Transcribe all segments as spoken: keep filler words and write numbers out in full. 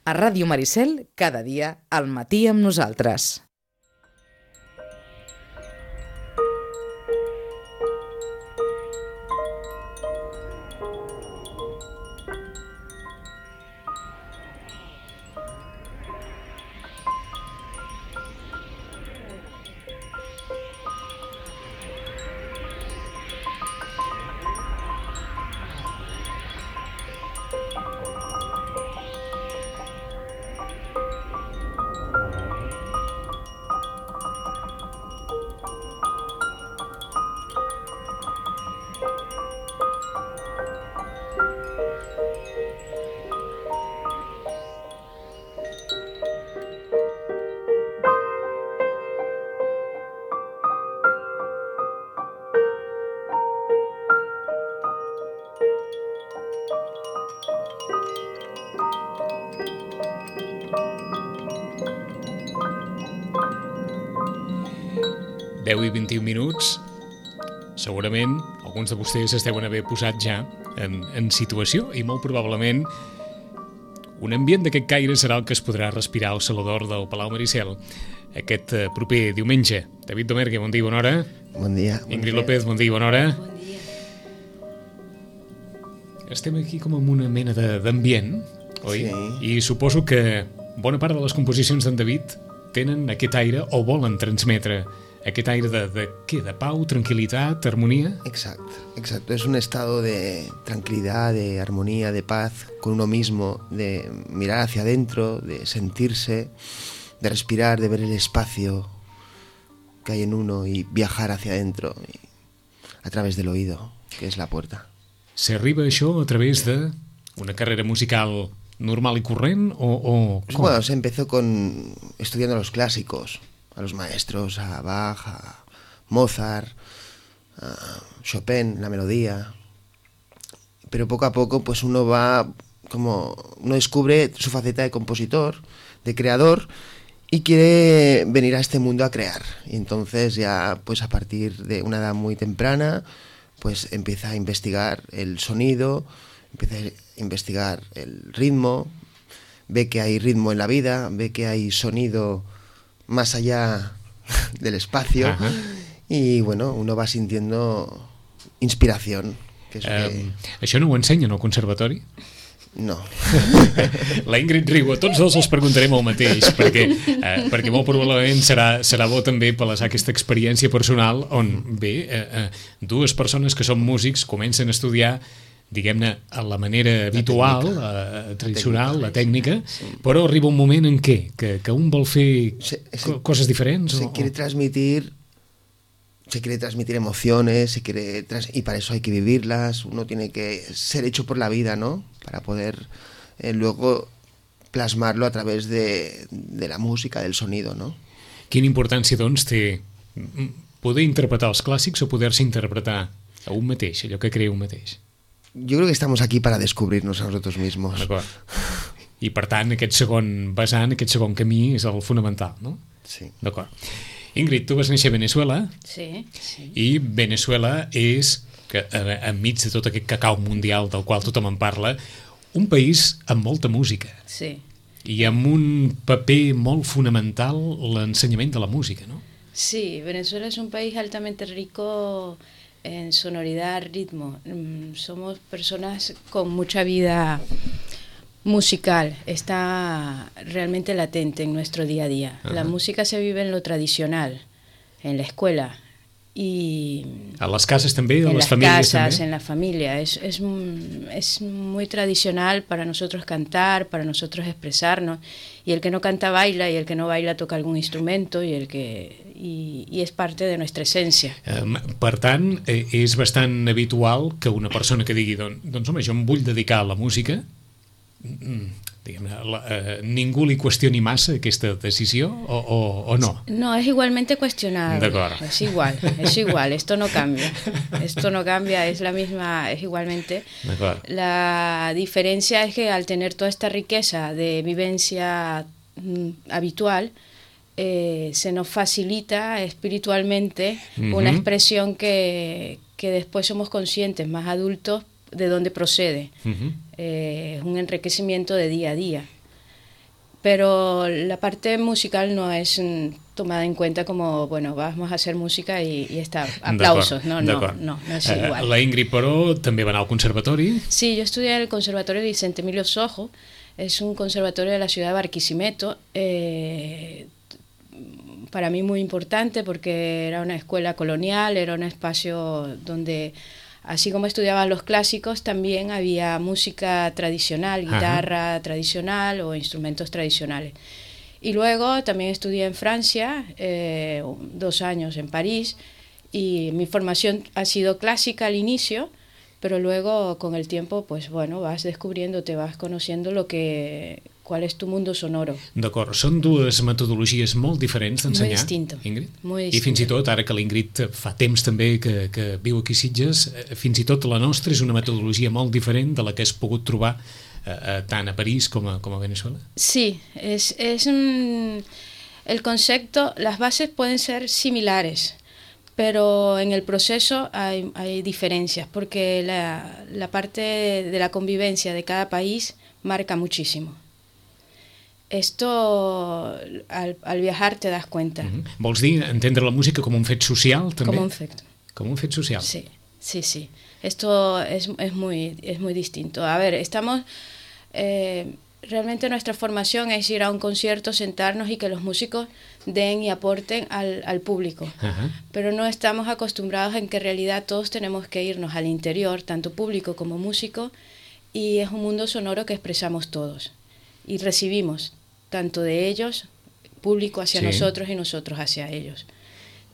A Ràdio Maricel, cada dia, al matí amb nosaltres. deu i vint-i-un minuts. Segurament alguns de vostès es deuen haver posat ja en, en situació i molt probablement un ambient d'aquest caire serà el que es podrà respirar al Saló d'Or del Palau Maricel aquest proper diumenge. David Domergue, bon dia, bona hora. Bon dia. Ingrid López, bon dia, bona hora. Bon dia. Estem aquí com en una mena d'ambient, oi? Sí. I suposo que bona part de les composicions d'en David tenen aquest aire o volen transmetre aquest aire de, de, ¿qué? De pau, tranquilidad, armonía. Exacto, exacto. Es un estado de tranquilidad, de armonía, de paz con uno mismo, de mirar hacia adentro, de sentirse, de respirar, de ver el espacio que hay en uno y viajar hacia adentro y a través del oído, que es la puerta. S'arriba a això a través de una carrera musical normal y corrent o, o pues bueno, se empezó con estudiando los clásicos, a los maestros, a Bach, a Mozart, a Chopin, la melodía. Pero poco a poco pues uno va como uno descubre su faceta de compositor, de creador y quiere venir a este mundo a crear. Y entonces ya pues a partir de una edad muy temprana pues empieza a investigar el sonido, empieza a investigar el ritmo, ve que hay ritmo en la vida, ve que hay sonido más allá del espacio. Ajá. Y bueno, uno va sintiendo inspiración. Que és um, que... Això no ho ensenyen al conservatori? No. La Ingrid riu, a tots dos els preguntarem el mateix, perquè, eh, perquè molt probablement serà, serà bo també palesar aquesta experiència personal on, bé, eh, eh, dues persones que són músics comencen a estudiar diguem-ne, a la manera habitual, la tècnica, eh, tradicional, la tècnica, la tècnica sí. Però arriba un moment en què? Que, que un vol fer se, se, coses diferents? Se o, quiere transmitir se quiere transmitir emociones, se quiere trans, y para eso hay que vivirlas, uno tiene que ser hecho por la vida, ¿no? Para poder eh, luego plasmarlo a través de, de la música, del sonido, ¿no? Quina importància, doncs, té poder interpretar els clàssics o poder-se interpretar a un mateix, allò que crea un mateix? Yo creo que estamos aquí para descubrirnos a nosotros mismos. D'acord. I per tant, aquest segon vessant, aquest segon camí és el fonamental, no? Sí. D'acord. Ingrid, tu vas néixer a Venezuela. Sí, sí. I Venezuela és, que enmig de tot aquest cacau mundial del qual tothom en parla, un país amb molta música. Sí. I amb un paper molt fonamental l'ensenyament de la música, no? Sí, Venezuela es un país altamente rico en sonoridad, ritmo. Somos personas con mucha vida musical, está realmente latente en nuestro día a día. Ajá. La música se vive en lo tradicional, en la escuela. Y a las casas también, a en las las familias casas, también. En la familia. Es, es, es muy tradicional para nosotros cantar, para nosotros expresarnos. Y el que no canta baila, y el que no baila toca algún instrumento, y el que y, y es parte de nuestra esencia. Um, per tant, eh, és bastant habitual que una persona que digui doncs, doncs home, jo em vull dedicar a la música, mm, diguem-ne, eh, ningú li qüestioni massa aquesta decisió o, o, o no? No, es igualmente cuestionable. D'acord. Es igual, es igual, esto no cambia. Esto no cambia, es la misma, es igualmente. D'acord. La diferencia es que al tener toda esta riqueza de vivencia mm, habitual, eh, se nos facilita espiritualmente uh-huh. una expresión que, que después somos conscientes, más adultos, de dónde procede. Uh-huh. Eh, es un enriquecimiento de día a día. pero la parte musical no es tomada en cuenta como, bueno, vamos a hacer música y, y está, aplausos, no, no, no, no es igual. La Ingrid, però, també va anar al conservatori? Sí, yo estudié en el Conservatorio Vicente Emilio Sojo, es un conservatorio de la ciudad de Barquisimeto, eh, para mí muy importante porque era una escuela colonial, era un espacio donde, así como estudiaban los clásicos, también había música tradicional, guitarra Ajá. tradicional o instrumentos tradicionales. Y luego también estudié en Francia, eh, dos años en París, y mi formación ha sido clásica al inicio, pero luego con el tiempo, pues bueno, vas descubriendo, te vas conociendo lo que, cuál es tu mundo sonoro. D'acord, són dues metodologies molt diferents d'ensenyar, muy distinto, Ingrid? Muy distinto. I fins i tot, ara que l'Ingrid fa temps també que, que viu aquí a Sitges, fins i tot la nostra és una metodologia molt diferent de la que has pogut trobar eh, tant a París com a, com a Venezuela. Sí, es, es un, el concepto, las bases pueden ser similares, pero en el proceso hay, hay diferencias, porque la, la parte de la convivencia de cada país marca muchísimo. Esto, al, al viajar te das cuenta. Uh-huh. Vols dir entendre la música com un fet social, també? Com un fet. Com un fet social. Sí, sí, sí. Esto es, es, muy, es muy distinto. A ver, estamos... Eh, realmente nuestra formación es ir a un concierto, sentarnos y que los músicos den y aporten al, al público. Uh-huh. Pero no estamos acostumbrados en que en realidad todos tenemos que irnos al interior, tanto público como músico, y es un mundo sonoro que expresamos todos. Y recibimos tanto de ellos, público hacia sí. nosotros y nosotros hacia ellos.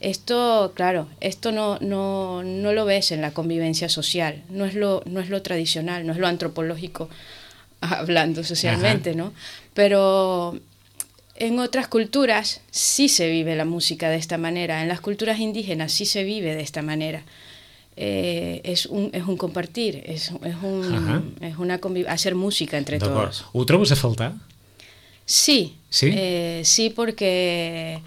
Esto, claro, esto no, no, no lo ves en la convivencia social, no es lo, no es lo tradicional, no es lo antropológico, hablando socialmente, Ajá. ¿no? Pero en otras culturas sí se vive la música de esta manera, en las culturas indígenas sí se vive de esta manera. Eh, es, un, es un compartir, es, es, un, es una conviv- hacer música entre todos. Ho trobes a faltar? Sí, sí, eh, sí, porque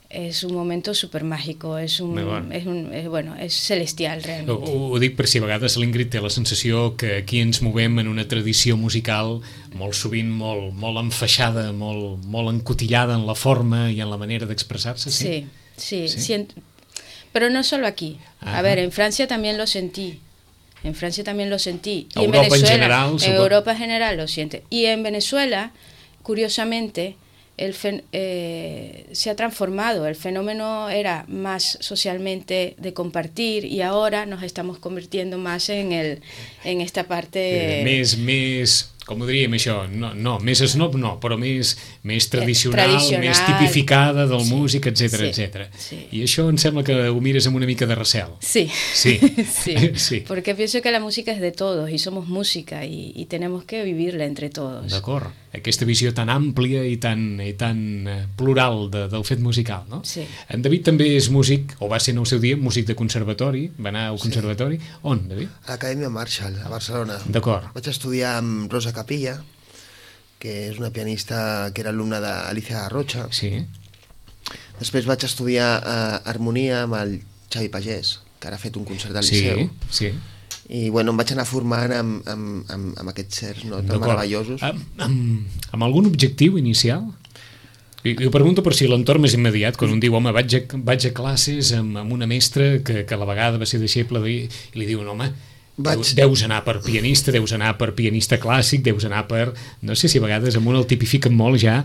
es un momento súper mágico, es un, bueno. Es un es, bueno, és celestial realment. Ho, ho dic per si a vegades l'Ingrid té la sensació que aquí ens movem en una tradició musical molt sovint molt, molt enfaixada, molt, molt encotillada en la forma i en la manera d'expressar-se. Sí, sí, sí. sí. Siento, pero no solo aquí. Ajá. A ver, en Francia también lo sentí. En Francia también lo sentí. Y Europa en Venezuela, en general. En Europa en general lo siente. Y en Venezuela, curiosamente, el fen- eh, se ha transformado. El fenómeno era más socialmente de compartir y ahora nos estamos convirtiendo más en, el, en esta parte... Eh, més, més, com ho diríem això? No, no, més snob no, però més, més tradicional, eh, tradicional, més tipificada del sí, músic, etcètera, sí, etcètera. Sí. I això em sembla que ho mires amb una mica de recel. Sí, sí. sí. sí. Porque pienso que la música es de todos y somos música y, y tenemos que vivirla entre todos. D'acord. Aquesta visió tan àmplia i tan, i tan plural de, del fet musical, no? Sí. En David també és músic, o va ser en el seu dia, músic de conservatori, va anar al conservatori. Sí. On, David? A l'Acadèmia Marshall, a Barcelona. D'acord. Vaig estudiar amb Rosa Capilla, que és una pianista que era alumna d'Alicia Rocha. Sí. Després vaig estudiar uh, harmonia amb el Xavi Pagès, que ara ha fet un concert al Liceu. Sí, sí. I bueno, em vaig anar formant amb, amb, amb, amb aquests certs no, tan meravellosos. Amb, amb, amb algun objectiu inicial? I, i ho pregunto per si l'entorn més immediat, quan un diu, home, vaig a, vaig a classes amb, amb una mestra que, que a la vegada va ser deixeble de, i li diuen, home, vaig... deus anar per pianista, deus anar per pianista clàssic, deus anar per... No sé si a vegades amb un el tipifiquen molt ja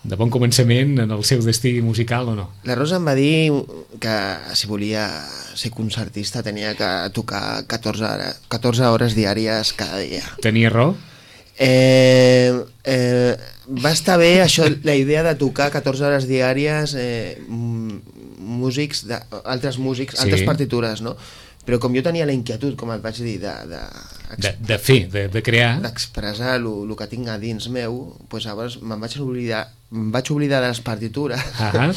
de bon començament en el seu destí musical o no. La Rosa em va dir que si volia ser concertista tenia que tocar catorze hores, catorze hores diàries cada dia. Tenia raó? Eh, eh, va estar bé això, la idea de tocar catorze hores diàries eh, músics, de, altres músics, sí. Altres partitures, no? Però com jo tenia la inquietud, com et vaig dir, de, de, de, de fer, de, de crear, d'expressar el que tinc a dins meu, doncs llavors me'n vaig oblidar, em vaig oblidar de les partitures uh-huh.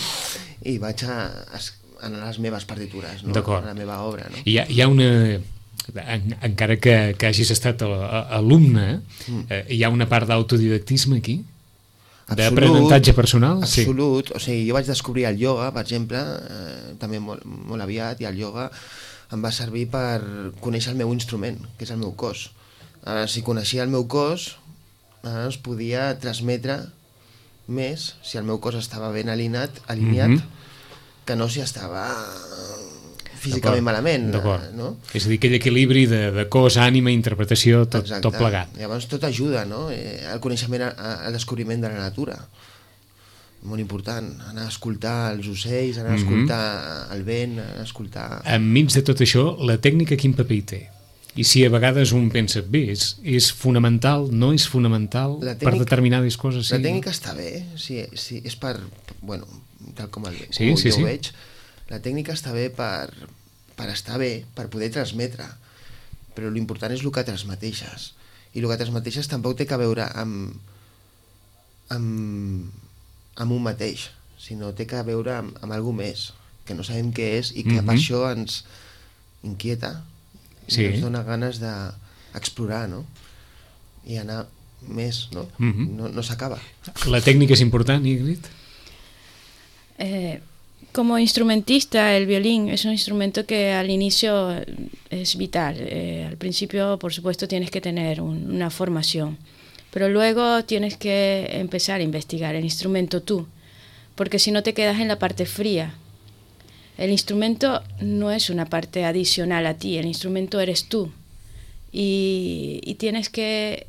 i vaig a, a, a les meves partitures, no? A la meva obra. No? Hi ha, hi ha una... En, encara que, que hagis estat a, a, alumne, mm. eh, hi ha una part d'autodidactisme aquí? D'aprenentatge personal? Absolut. Sí. O sigui, jo vaig descobrir el ioga, per exemple, eh, també molt, molt aviat, i el ioga em va servir per conèixer el meu instrument, que és el meu cos. Eh, si coneixia el meu cos, eh, es podia transmetre més si el meu cos estava ben alineat, alineat mm-hmm. que no si estava físicament malament. No? És a dir, aquell equilibri de, de cos, ànima, interpretació, tot, tot plegat. Llavors tot ajuda, no? Eh, el coneixement, el descobriment de la natura. Molt important, anar a escoltar els ocells, anar a escoltar mm-hmm. el vent, anar a escoltar... Enmig de tot això, la tècnica quin paper hi té? I si a vegades un pensa, bé, és, és fonamental, no és fonamental tècnica, per determinades coses? Sí. La tècnica està bé, sí, sí, és per, bueno, tal com, el, sí, com sí, jo sí. ho veig, la tècnica està bé per, per estar bé, per poder transmetre, però l'important és el que transmeteixes, i el que transmeteixes tampoc té que veure amb, amb, amb un mateix, sinó té que veure amb, amb alguna més, que no sabem què és i que mm-hmm. per això ens inquieta, sí. i ens dona ganes d'explorar, no? I anar més, no? Mm-hmm. No, no s'acaba. La tècnica és important, Ingrid? Eh, como instrumentista, el violín es un instrumento que al inicio es vital. Eh, al principio, por supuesto, tienes que tener un, una formación, pero luego tienes que empezar a investigar el instrumento tú, porque si no te quedas en la parte fría. El instrumento no es una parte adicional a ti, el instrumento eres tú. Y, y tienes que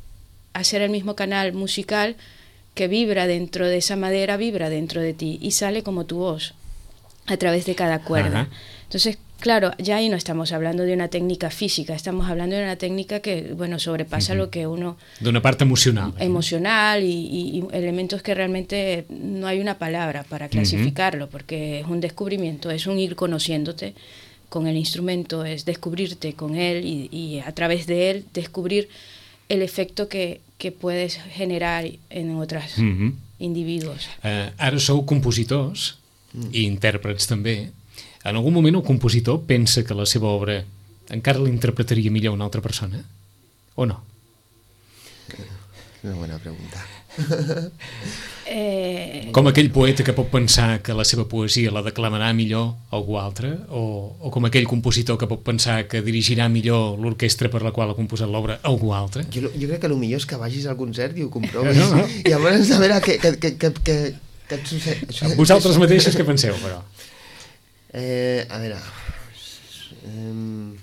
hacer el mismo canal musical que vibra dentro de esa madera, vibra dentro de ti y sale como tu voz a través de cada cuerda. Ajá. Entonces, claro, ya ahí no estamos hablando de una técnica física, estamos hablando de una técnica que, bueno, sobrepasa uh-huh. lo que uno... De una parte emocional. Emocional y, y, y elementos que realmente no hay una palabra para clasificarlo, uh-huh. porque es un descubrimiento, es un ir conociéndote con el instrumento, es descubrirte con él y, y a través de él descubrir el efecto que, que puedes generar en otros uh-huh. individuos. Uh, ara sou compositors mm. i intèrprets també. En algun moment el compositor pensa que la seva obra encara l'interpretaria millor una altra persona? O no? Una bona pregunta. eh... Com aquell poeta que pot pensar que la seva poesia la declamarà millor algú altre? O, o com aquell compositor que pot pensar que dirigirà millor l'orquestra per la qual ha composat l'obra algú altre? Jo, jo crec que el millor és que vagis al concert i ho comprovis. No, no. I llavors a veure què, què, què, què, què, què et succeeix. Vosaltres mateixos què penseu, però? Eh, a veure... Eh,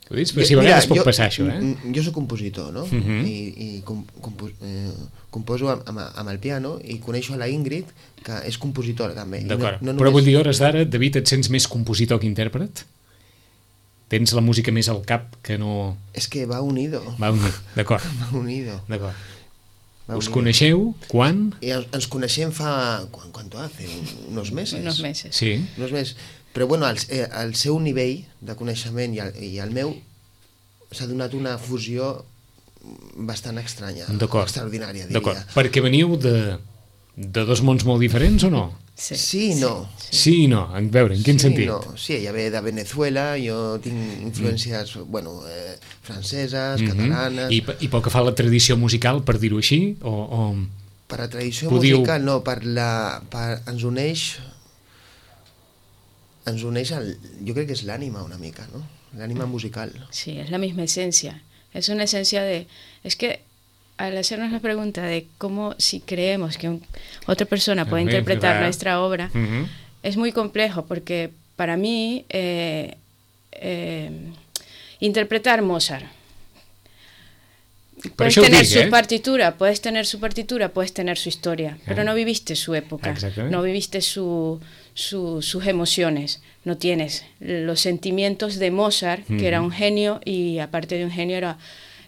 Ho dius? Però si a vegades pot passar això, eh? Jo soc compositor, no? Uh-huh. I, i com, compo, eh, composo amb, amb el piano i coneixo a la Ingrid, que és compositora també. D'acord, no, no però només... vull dir, hores d'ara, David, et sents més compositor que intèrpret? Tens la música més al cap que no... És que va unido. Va unido, d'acord. Va unido. D'acord. Us unido. Coneixeu quan? I ens coneixem fa... ¿Cuánto hace? Unos meses. Unos meses. Sí. Unos meses. Però bueno, el, el seu nivell de coneixement i el, i el meu s'ha donat una fusió bastant estranya, extraordinària, diria. D'acord, perquè veniu de, de dos mons molt diferents o no? Sí, sí i no. Sí, sí i no, a veure, en quin sí, sentit? No. Sí, ella ve de Venezuela, jo tinc influències mm. bueno, eh, franceses, mm-hmm. catalanes... I, I pel que fa a la tradició musical, per dir-ho així? O, o... Per la tradició Podíeu... musical, no, per la, per, ens uneix... ens uneix el, yo creo que es l'ànima una mica, ¿no? L'ànima musical. Sí, es la misma esencia. Es una esencia de... Es que al hacernos la pregunta de cómo, si creemos que un, otra persona puede interpretar claro. nuestra obra, uh-huh. es muy complejo porque para mí eh, eh, interpretar Mozart, puedes tener dic, su eh? partitura, puedes tener su partitura, puedes tener su historia, eh. pero no viviste su época, no viviste su, su, sus emociones, no tienes los sentimientos de Mozart, mm. que era un genio y aparte de un genio era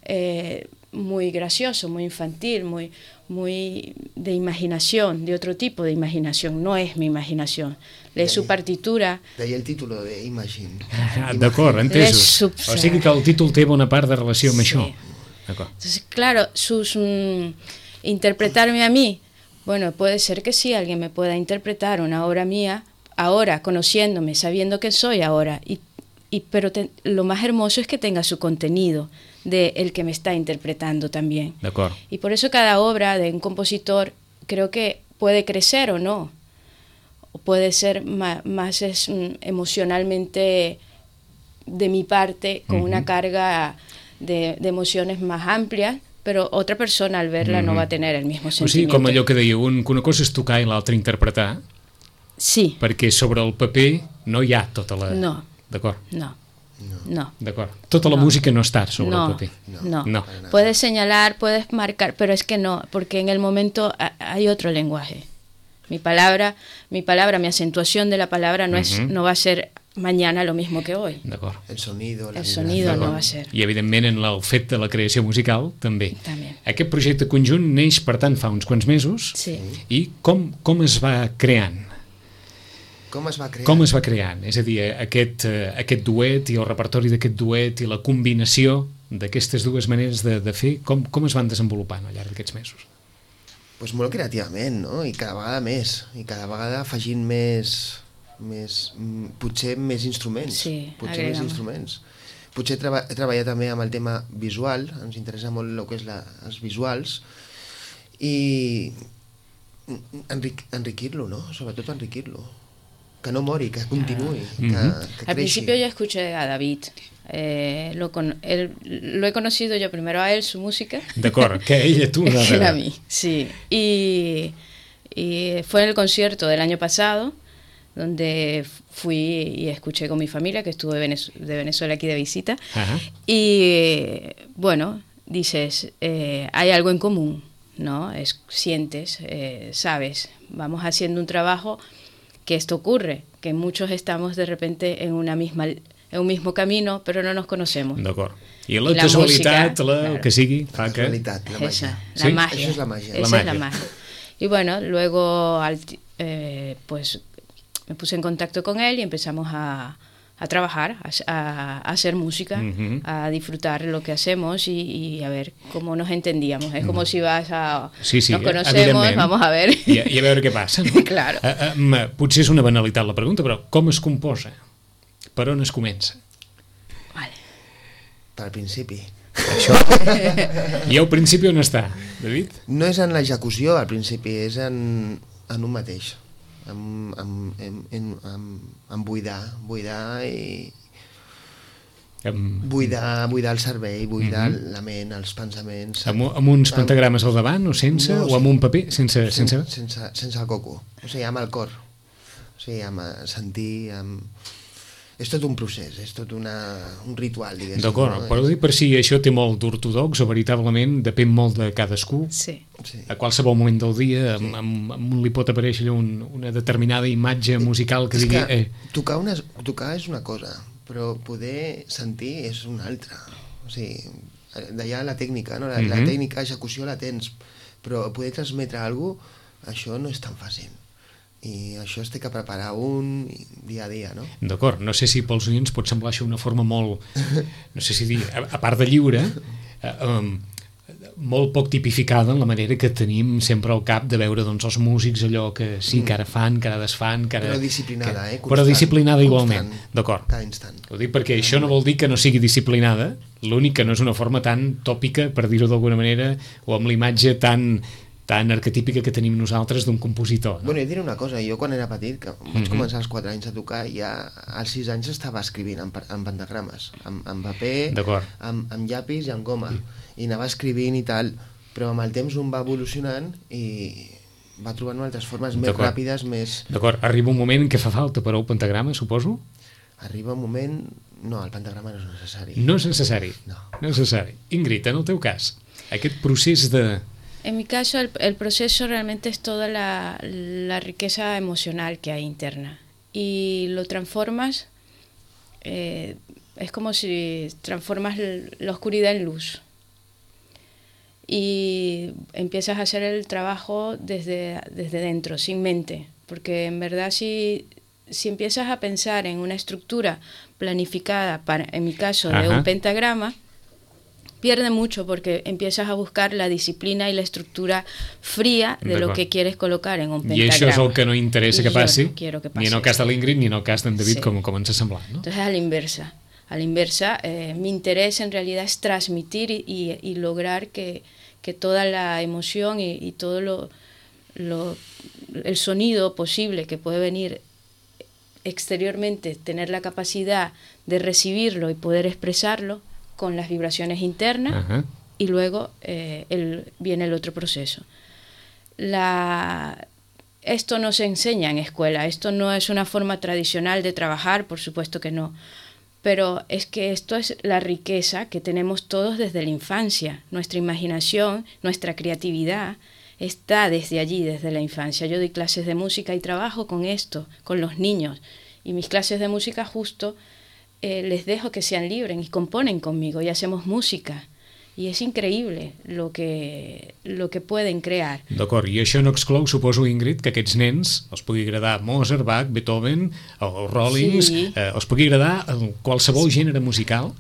eh, muy gracioso, muy infantil, muy, muy de imaginación, de otro tipo de imaginación, no es mi imaginación. Lee su partitura... De ahí el título de Imagine. Ah, d'acord, entesos. O sigui que el títol té bona part de relació amb sí. això. Entonces, claro, sus mm, interpretarme a mí, bueno, puede ser que sí, alguien me pueda interpretar una obra mía ahora, conociéndome, sabiendo que soy ahora, y, y, pero te, lo más hermoso es que tenga su contenido de el que me está interpretando también. De acuerdo. Y por eso cada obra de un compositor creo que puede crecer o no, o puede ser más, más es, mm, emocionalmente de mi parte, con uh-huh. una carga... De, de emociones más amplias, pero otra persona al verla mm. no va a tener el mismo sentimiento. O sigui, com allò que dèieu, un, que una cosa és tocar i l'altra interpretar. Sí. Perquè sobre el paper no hi ha tota la... No. D'acord. No. No. D'acord. Tota la no. música no està sobre no. el paper. No. no. Puedes señalar, puedes marcar, pero es que no, porque en el momento hay otro lenguaje. Mi palabra, mi palabra, mi acentuación de la palabra no, uh-huh. es, no va a ser mañana lo mismo que hoy. D'acord. El sonido, la el sonido no va a ser. I evidentment en el fet de la creació musical també. També. Aquest projecte conjunt neix per tant fa uns quants mesos. Sí. I com, com es va creant? Com es va creant? Com es va creant? És a dir, aquest, uh, aquest duet i el repertori d'aquest duet i la combinació d'aquestes dues maneres de, de fer, com, com es van desenvolupant al llarg d'aquests mesos? Pues molt creativament, no? I cada vegada més. I cada vegada afegint més... més potser més instruments. Sí, potser més instruments. Potser treba, he treballat també amb el tema visual, ens interessa molt el que és la, els visuals, i enric, enriquir-lo, no? Sobretot enriquir-lo. Que no mori, que continuï, ah. que, mm-hmm. que Al principio yo escuché a David. Eh, lo, con, él, lo he conocido yo primero a él, su música. D'acord, que ella tú. No, que a mí, sí. Y, y fue en el concierto del año pasado, donde fui y escuché con mi familia, que estuvo de, Venez- de Venezuela aquí de visita. Ajá. Y bueno, dices, eh, hay algo en común, ¿no? Es, sientes, eh, sabes, vamos haciendo un trabajo que esto ocurre, que muchos estamos de repente en una misma en un mismo camino, pero no nos conocemos. D'acord. I la, la casualitat, música, la, claro. que sigui, fa la casualitat, la màgia. Esa, la ¿Sí? magia. Eso es la magia. Esa la es la magia. Y bueno, luego al, eh, pues me puse en contacto con él y empezamos a, a trabajar, a, a, a hacer música, uh-huh. a disfrutar lo que hacemos y, y a ver cómo nos entendíamos. Es como uh-huh. si vas a... Sí, sí, nos conocemos, vamos a ver... I, I a veure què passa. No? Claro. Uh, um, potser és una banalitat la pregunta, però com es composa? Per on es comença? Vale. Per principi. Això. I al principi on està, David? No és en l'execució al principi, és en, en un mateix. En, en, en, en, en, en buidar, buidar i... Amb... Buidar, buidar el cervell, buidar uh-huh. la ment, els pensaments... Amb, amb uns pentagrames al davant o sense? No, o amb un paper? Sense, sense... Sense, sense, sense el coco. O sigui, amb el cor. O sigui, amb sentir... Amb... És tot un procés, és tot una, un ritual, diguéssim. D'acord, no? Però dir per si això té molt d'ortodox o veritablement depèn molt de cadascú. Sí. Sí. A qualsevol moment del dia sí. amb, amb, amb li pot aparèixer un, una determinada imatge musical que és digui... Que eh. tocar, una, tocar és una cosa, però poder sentir és una altra. O sigui, d'allà la tècnica, no? La, mm-hmm. la tècnica, execució la tens, però poder transmetre alguna cosa, això no és tan fàcil. I això es té que preparar un dia a dia, no? D'acord, no sé si pels oients pot semblar això una forma molt, no sé si dir, a, a part de lliure, eh, um, molt poc tipificada en la manera que tenim sempre al cap de veure doncs, els músics allò que sí, que ara fan, que ara desfan, que ara... Però disciplinada, que, eh? Constant, però disciplinada igualment, constant, d'acord. Cada instant. Ho dic perquè això no vol dir que no sigui disciplinada, l'únic que no és una forma tan tòpica, per dir-ho d'alguna manera, o amb l'imatge tan... tan arquetípica que tenim nosaltres d'un compositor. No? Bueno, jo diré una cosa, jo quan era petit, que vaig mm-hmm. començar als quatre anys a tocar, ja als sis anys estava escrivint en, en pentagrames, amb, amb paper, amb, amb llapis i amb goma, i anava escrivint i tal, però amb el temps un va evolucionant i va trobant altres formes més ràpides, més... D'acord, arriba un moment que fa falta per al pentagrama, suposo? Arriba un moment... No, el pentagrama no és necessari. No és necessari? No. No és necessari. Ingrid, en el teu cas, aquest procés de... En mi caso, el, el proceso realmente es toda la, la riqueza emocional que hay interna. Y lo transformas, eh, es como si transformas la oscuridad en luz. Y empiezas a hacer el trabajo desde, desde dentro, sin mente. Porque en verdad si, si empiezas a pensar en una estructura planificada, para, en mi caso, de Ajá. un pentagrama, pierde mucho porque empiezas a buscar la disciplina y la estructura fría de lo que quieres colocar en un pentagrama. I això és el que no interessa I que passi, no quiero que passi, ni en el cas de l'Ingrid ni en el cas d'en David, sí. com, com ens ha semblat. ¿no? Entonces, a la inversa. A la inversa, eh, mi interés en realidad es transmitir y, y, y lograr que, que toda la emoción y, y todo lo, lo, el sonido posible que puede venir exteriormente, tener la capacidad de recibirlo y poder expresarlo con las vibraciones internas uh-huh. y luego eh, el, viene el otro proceso. La, esto no se enseña en escuela, esto no es una forma tradicional de trabajar, por supuesto que no, pero es que esto es la riqueza que tenemos todos desde la infancia. Nuestra imaginación, nuestra creatividad está desde allí, desde la infancia. Yo doy clases de música y trabajo con esto, con los niños, y mis clases de música justo eh, les dejo que sean libres y componen conmigo y hacemos música. I és increïble lo que, lo que poden crear. D'acord, i això no exclou, suposo, Ingrid, que aquests nens els pugui agradar Mozart, Bach, Beethoven, els Rollings, sí. eh, els pugui agradar qualsevol gènere musical?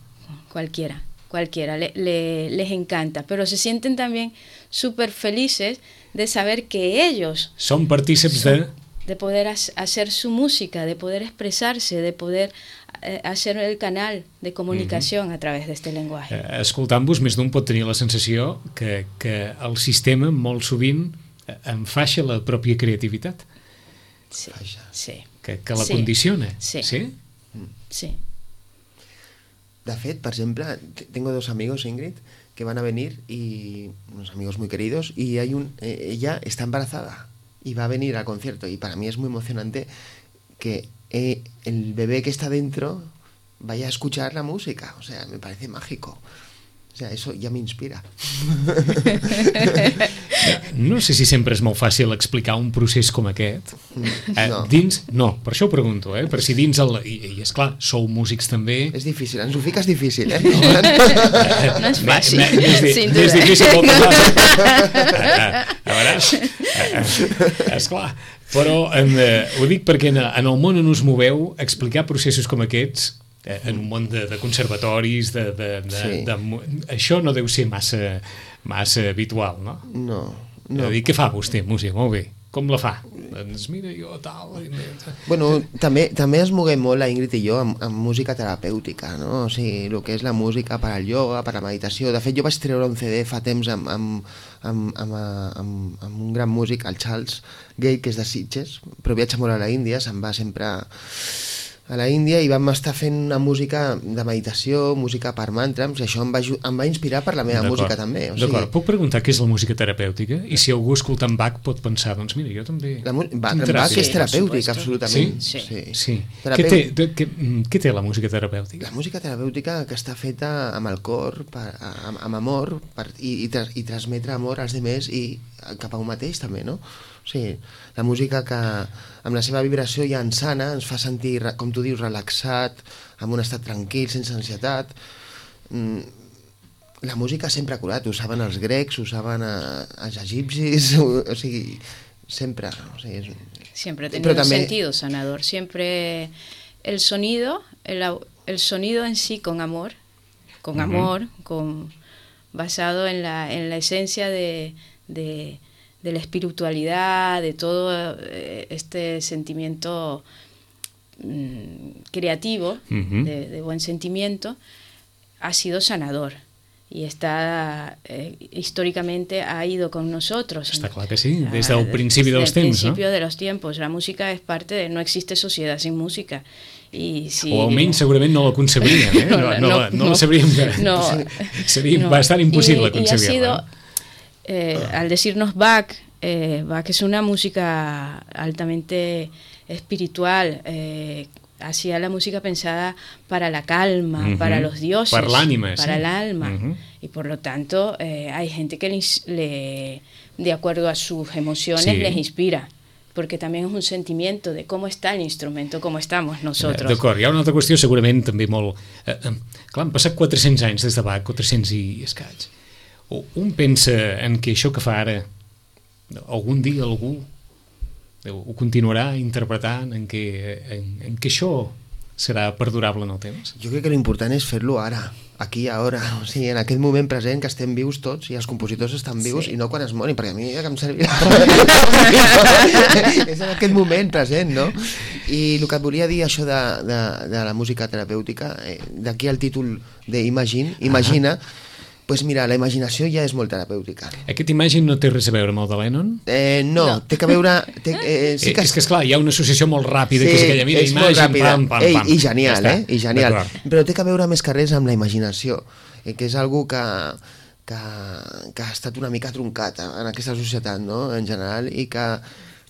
Cualquiera, cualquiera, le, le, les encanta, pero se sienten también súper felices de saber que ellos son partícips de... de poder hacer su música, de poder expresarse, de poder eh, hacer el canal de comunicación uh-huh. a través de este lenguaje. Eh, escoltant-vos, més d'un pot tenir la sensació que, que el sistema molt sovint enfaixa la pròpia creativitat. Sí, sí. Que, que la sí. condiciona. Sí. Sí? Sí. De fet, por ejemplo, tengo dos amigos, Ingrid, que van a venir, y unos amigos muy queridos, y hay un, eh, ella está embarazada y va a venir al concierto, y para mí es muy emocionante que eh, el bebé que está dentro vaya a escuchar la música. O sea, me parece mágico. O sea, eso ja m'inspira. No sé si sempre és molt fàcil explicar un procés com aquest. Eh, No. Dins, no, per això ho pregunto, eh? Per si dins el... I, i esclar, sou músics també... És difícil, ens ho fiques difícil, eh? No és fàcil, sin duda. És difícil moltes vegades. A veure, esclar. Però eh, ho dic perquè en, en el món on us moveu, explicar processos com aquests en un món de, de conservatoris de, de, de, Sí. de, de, això no deu ser massa, massa habitual, no? No, No. no. Dir, què fa vostè, música? Molt bé. Com la fa? Doncs mira, jo tal... Bueno, també, també es moguem molt, la Ingrid i jo, amb, amb música terapèutica, no? O sigui, el que és la música per al ioga, per a la meditació. De fet, jo vaig treure un C D fa temps amb, amb, amb, amb, amb, amb un gran músic, el Charles Gate, que és de Sitges, però viatja molt a la Índia, se'n va sempre a la Índia, i vam estar fent una música de meditació, música per mantras, i això em va, em va inspirar per la meva música també. O sigui, D'acord, puc preguntar què és la música terapèutica? I si algú escoltant Bach pot pensar, doncs mira, jo també... la, Bach, Tinc Bach és Sí, terapèutic, por absolutament. Sí? sí. Sí. Terapeu... Què, té, de, què, què té la música terapèutica? La música terapèutica que està feta amb el cor, per, amb, amb amor, per, i, i, tras, i transmetre amor als demés i cap a un mateix també, no? O sigui, la música que amb la seva vibració ja ens sana, ens fa sentir, com tu dius, relaxat, amb un estat tranquil, sense ansietat. La música sempre ha curat, ho saben els grecs, ho saben els egipcis, o, o sigui, sempre. O sigui, és... Siempre ha tenido Pero un también... sentido sanador. Siempre el sonido, el, el sonido en sí con amor, con uh-huh. amor, con, basado en la, en la esencia de, de, de la espiritualidad, de todo este sentimiento mmm, creativo, uh-huh. de, de buen sentimiento, ha sido sanador. Y está, eh, históricamente ha ido con nosotros. Està clar que sí, des del principi dels temps, no? Desde el principio de los tiempos. La música es parte de... No existe sociedad sin música. Y si... O almenys segurament no la concebríem, eh? No, no, no, no, no la sabríem que... No, seria no. bastant impossible y, concebir-la. Y ha sido, eh, al decirnos Bach, eh, Bach es una música altamente espiritual, eh, hacía la música pensada para la calma, uh-huh. para los dioses, para el ánima, para sí. el alma. Uh-huh. Y por lo tanto, eh, hay gente que les, le, de acuerdo a sus emociones, sí. les inspira. Porque también es un sentimiento de cómo está el instrumento, cómo estamos nosotros. Eh, D'acord, hi ha una altra qüestió segurament també molt... Eh, eh, clar, han passat quatre-cents anys des de Bach, quatre-cents i escaig. O un pensa en que això que fa ara, algun dia algú ho continuarà interpretant, en què, en, en què això serà perdurable en el temps? Jo crec que l'important és fer-lo ara, aquí i ara, o sigui, en aquest moment present que estem vius tots i els compositors estan vius, sí. I no quan es morin, perquè a mi ja que em servirà és en aquest moment present, no? I el que et volia dir això de, de, de la música terapèutica, eh, d'aquí el títol d'Imagine, Imagina, uh-huh. Pues mira, la imaginació ja és molt terapèutica. Aquest Imagine no té res a veure amb el de Lennon? Eh, no, no, té que veure... Té, eh, sí que... Eh, és que, esclar, hi ha una associació molt ràpida, sí, que és aquella, mira, és Imagine, pam, pam, Ei, pam. I genial, ja eh? I genial. Però té que veure més que res amb la imaginació, eh, que és algo que que, que ha estat una mica truncat en aquesta societat, no?, en general, i que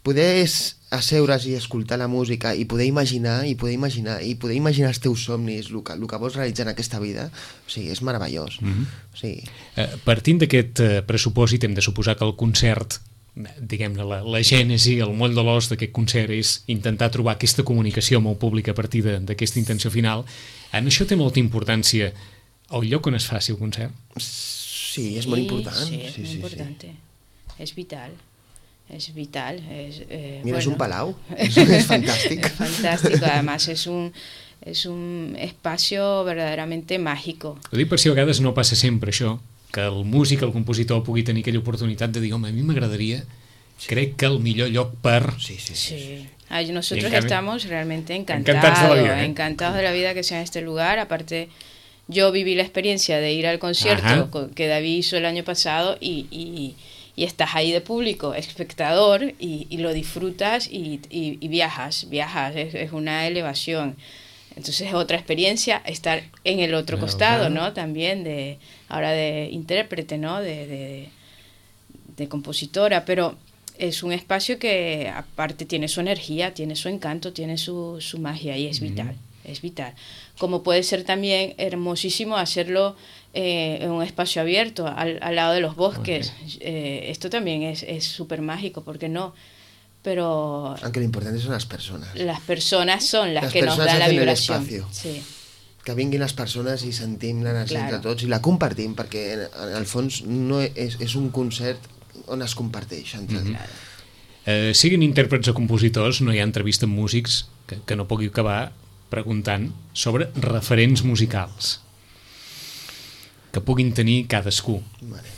poder asseure's i escoltar la música i poder imaginar, i poder imaginar, i poder imaginar els teus somnis, el que, el que vols realitzar en aquesta vida, o sigui, és meravellós. Mm-hmm. O sigui... eh, partint d'aquest eh, pressupòsit, hem de suposar que el concert, diguem-ne, la, la gènesi, el moll de l'os d'aquest concert és intentar trobar aquesta comunicació amb el públic a partir d'aquesta intenció final. En això té molta importància el lloc on es faci el concert? Sí, és molt important. Sí, es sí, muy sí, importante. Sí. Es vital. Es vital. Es, eh, Mira, bueno. es un palau. Es, es fantástico. Es fantástico. Además, es un, es un espacio verdaderamente mágico. Ho dic per si a vegades no passa sempre això, que el músic, el compositor pugui tenir aquella oportunitat de dir, home, a mi m'agradaria, sí. crec que el millor lloc per... Sí, sí, sí. Sí. sí. Ay, nosotros cambio, estamos realmente encantados, encantados de la vida, ¿eh? encantados de la vida que sea en este lugar. Aparte, yo viví la experiencia de ir al concierto Ajá. que David hizo el año pasado y, y, y estás ahí de público, espectador, y, y lo disfrutas y, y, y viajas, viajas, es, es una elevación. Entonces es otra experiencia estar en el otro claro, costado, claro. ¿no? También de, ahora de intérprete, ¿no? De, de, de compositora, pero es un espacio que aparte tiene su energía, tiene su encanto, tiene su, su magia y es vital, mm. es vital. Como puede ser también hermosísimo hacerlo eh, en un espacio abierto, al, al lado de los bosques. Okay. Eh, esto también es súper mágico, ¿por qué no? Pero... Aunque lo importante son las personas. Las personas son las, las que nos dan la vibración. Sí. Que vinguin les persones i sentim l'energia claro. entre tots i la compartim, perquè en, en el fons no és, és un concert on es comparteix entre mm-hmm. claro. eh, siguin intèrprets o compositors, no hi ha entrevista amb músics que, que no pugui acabar preguntant sobre referents musicals que puguin tenir cadascú. Vale.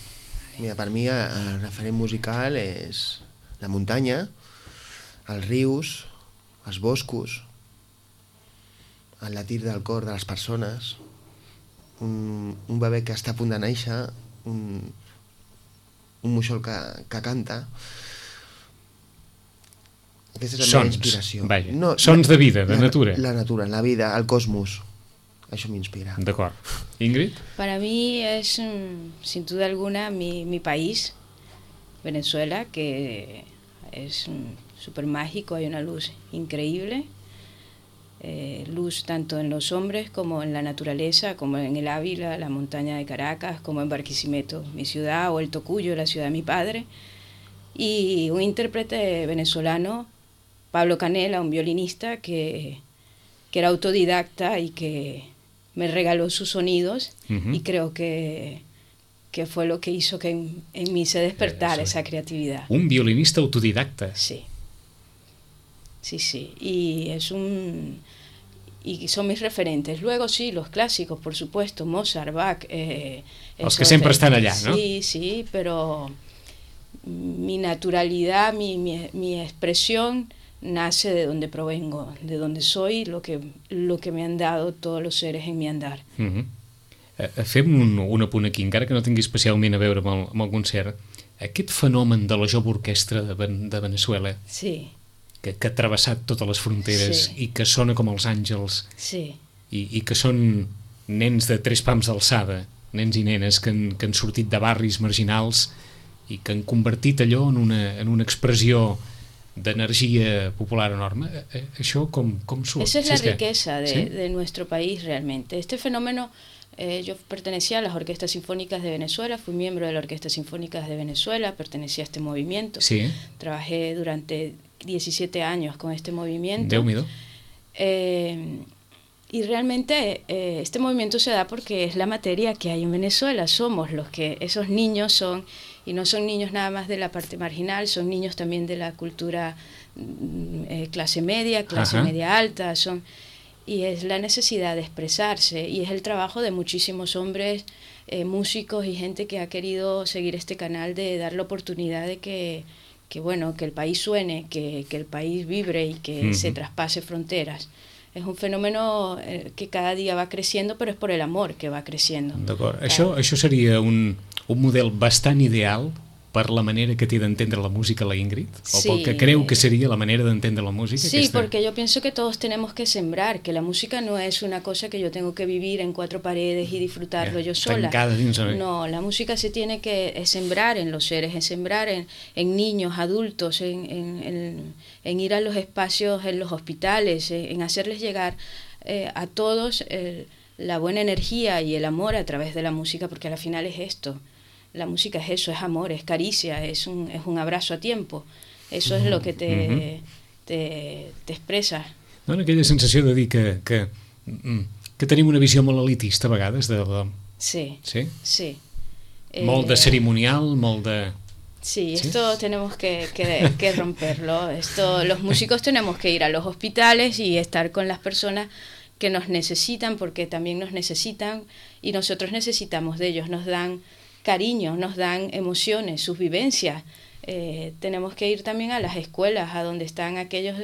Mira, per mi el referent musical és la muntanya, els rius, els boscos, el latir del cor de les persones, un, un bebè que està a punt de néixer, un, un moixol que, que canta. Aquesta és la Sons, meva inspiració. Vaja. No, Sons de vida, de la, natura. La natura, la vida, el cosmos. Això m'inspira. D'acord. Ingrid? Para mí es, sin duda alguna, mi, mi país, Venezuela, que es súper mágico, hay una luz increíble. Eh, luz tanto en los hombres como en la naturaleza, como en el Ávila, la montaña de Caracas, como en Barquisimeto, mi ciudad, o el Tocuyo, la ciudad de mi padre. Y un intérprete venezolano, Pablo Canela, un violinista que, que era autodidacta y que me regaló sus sonidos, uh-huh. y creo que, que fue lo que hizo que en, en mí se despertara eh, esa creatividad. Un violinista autodidacta. Sí. Sí, sí, y es un y son mis referentes. Luego sí, los clásicos, por supuesto, Mozart, Bach. Eh, Los que siempre están allá, ¿no? Sí, sí, pero mi naturalidad, mi, mi, mi expresión nace de donde provengo, de donde soy, lo que, lo que me han dado todos los seres en mi andar. Uh-huh. Uh, fem un, un apunt aquí, encara que no tingui especialment a veure amb el, amb el concert. Aquest fenomen de la jove orquestra de, de Venezuela... Sí. Que, que ha travessat totes les fronteres, sí. i que sona com els àngels, sí. i, i que són nens de tres pams d'alçada, nens i nenes que han, que han sortit de barris marginals i que han convertit allò en una, en una expressió d'energia popular enorme. Això com, com surt? Esa es si la és riqueza que... de, ¿Sí? de nuestro país realmente. Este fenómeno, eh, yo pertenecía a las Orquestas Sinfónicas de Venezuela, fui miembro de la Orquesta Sinfónica de Venezuela, pertenecía a este movimiento, sí. Trabajé durante diecisiete años con este movimiento. Déu mío. Eh, y realmente eh, este movimiento se da porque es la materia que hay en Venezuela, somos los que, esos niños son, y no son niños nada más de la parte marginal, son niños también de la cultura eh, clase media, clase Ajá. media alta, son, y es la necesidad de expresarse, y es el trabajo de muchísimos hombres, eh, músicos y gente que ha querido seguir este canal de dar la oportunidad de que que bueno, que el país suene, que, que el país vibre y que uh-huh. se traspase fronteras. Es un fenómeno eh, que cada dia va creciendo, però és per el amor que va creciendo. D'acord. Això, això seria un, un model bastant ideal per la manera que té d'entendre la música la Ingrid? O Sí. pel que creu que sería la manera de entender la música? Sí, aquesta? porque yo pienso que todos tenemos que sembrar, que la música no es una cosa que yo tengo que vivir en cuatro paredes y disfrutarlo Ya, yo sola. tancada dins de- No, la música se tiene que es sembrar en los seres, es sembrar en, en niños, adultos, en, en, en, en ir a los espacios, en los hospitales, en, en hacerles llegar eh, a todos el- la buena energía y el amor a través de la música, porque al final es esto. La música es eso, es amor, es caricia, es un, es un abrazo a tiempo. Eso es lo que te, Mhm. te, te expressa. Dona aquella sensació de dir que, que, mm, que tenim una visió molt elitista a vegades de la... Sí, Sí? sí. Molt de Eh, cerimonial, molt de... Sí, ¿Sí? esto tenemos que, que, que romperlo. Esto, los músicos tenemos que ir a los hospitales y estar con las personas que nos necesitan, porque también nos necesitan y nosotros necesitamos de ellos. Nos dan cariño, nos dan emociones, sus vivencias. Eh, tenemos que ir también a las escuelas, a donde están aquellos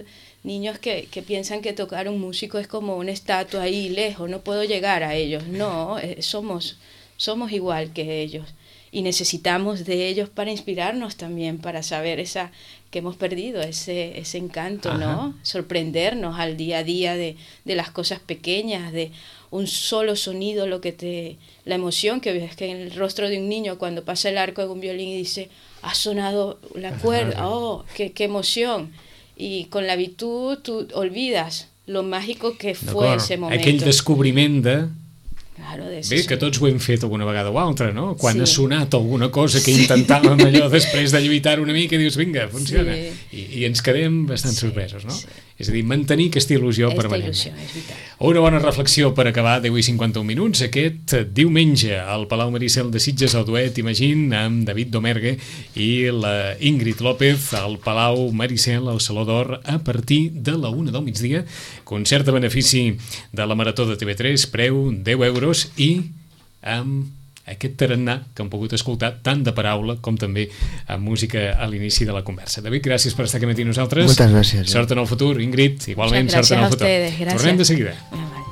niños que, que piensan que tocar un músico es como una estatua ahí lejos, no puedo llegar a ellos. No, eh, somos, somos igual que ellos. Y necesitamos de ellos para inspirarnos también, para saber esa que hemos perdido, ese, ese encanto, Ajá. ¿no? Sorprendernos al día a día de, de las cosas pequeñas, de un solo sonido, lo que te, la emoción que ves que en el rostro de un niño cuando pasa el arco de un violín y dice, ha sonado la cuerda, oh, qué, qué emoción. Y con la virtud tú olvidas lo mágico que fue D'acord. ese momento. Aquell descobriment de... Claro, de Bé, ese que tots ho hem fet alguna vegada o altra, no? Quan Sí. ha sonat alguna cosa que intentàvem allò després de lluitar una mica, dius, vinga, funciona. Sí. I, I ens quedem bastant Sí, sorpresos, no? sí. És a dir, mantenir aquesta il·lusió Esta permanent. ilusión es vital. Una bona reflexió per acabar, deu i cinquanta-un minuts, aquest diumenge al Palau Maricel de Sitges, el duet Imagine, amb David Domergue i la Ingrid López al Palau Maricel, al Saló d'Or, a partir de la una del migdia. Concert a benefici de la Marató de T V tres, preu deu euros i amb aquest tarannà que hem pogut escoltar tant de paraula com també amb música a l'inici de la conversa. David, gràcies per estar aquí amb nosaltres. Moltes gràcies. Sort en el futur, Ingrid, igualment Muchas sort en el gracias a futur. ustedes, gracias. Tornem de seguida. Ah, vale.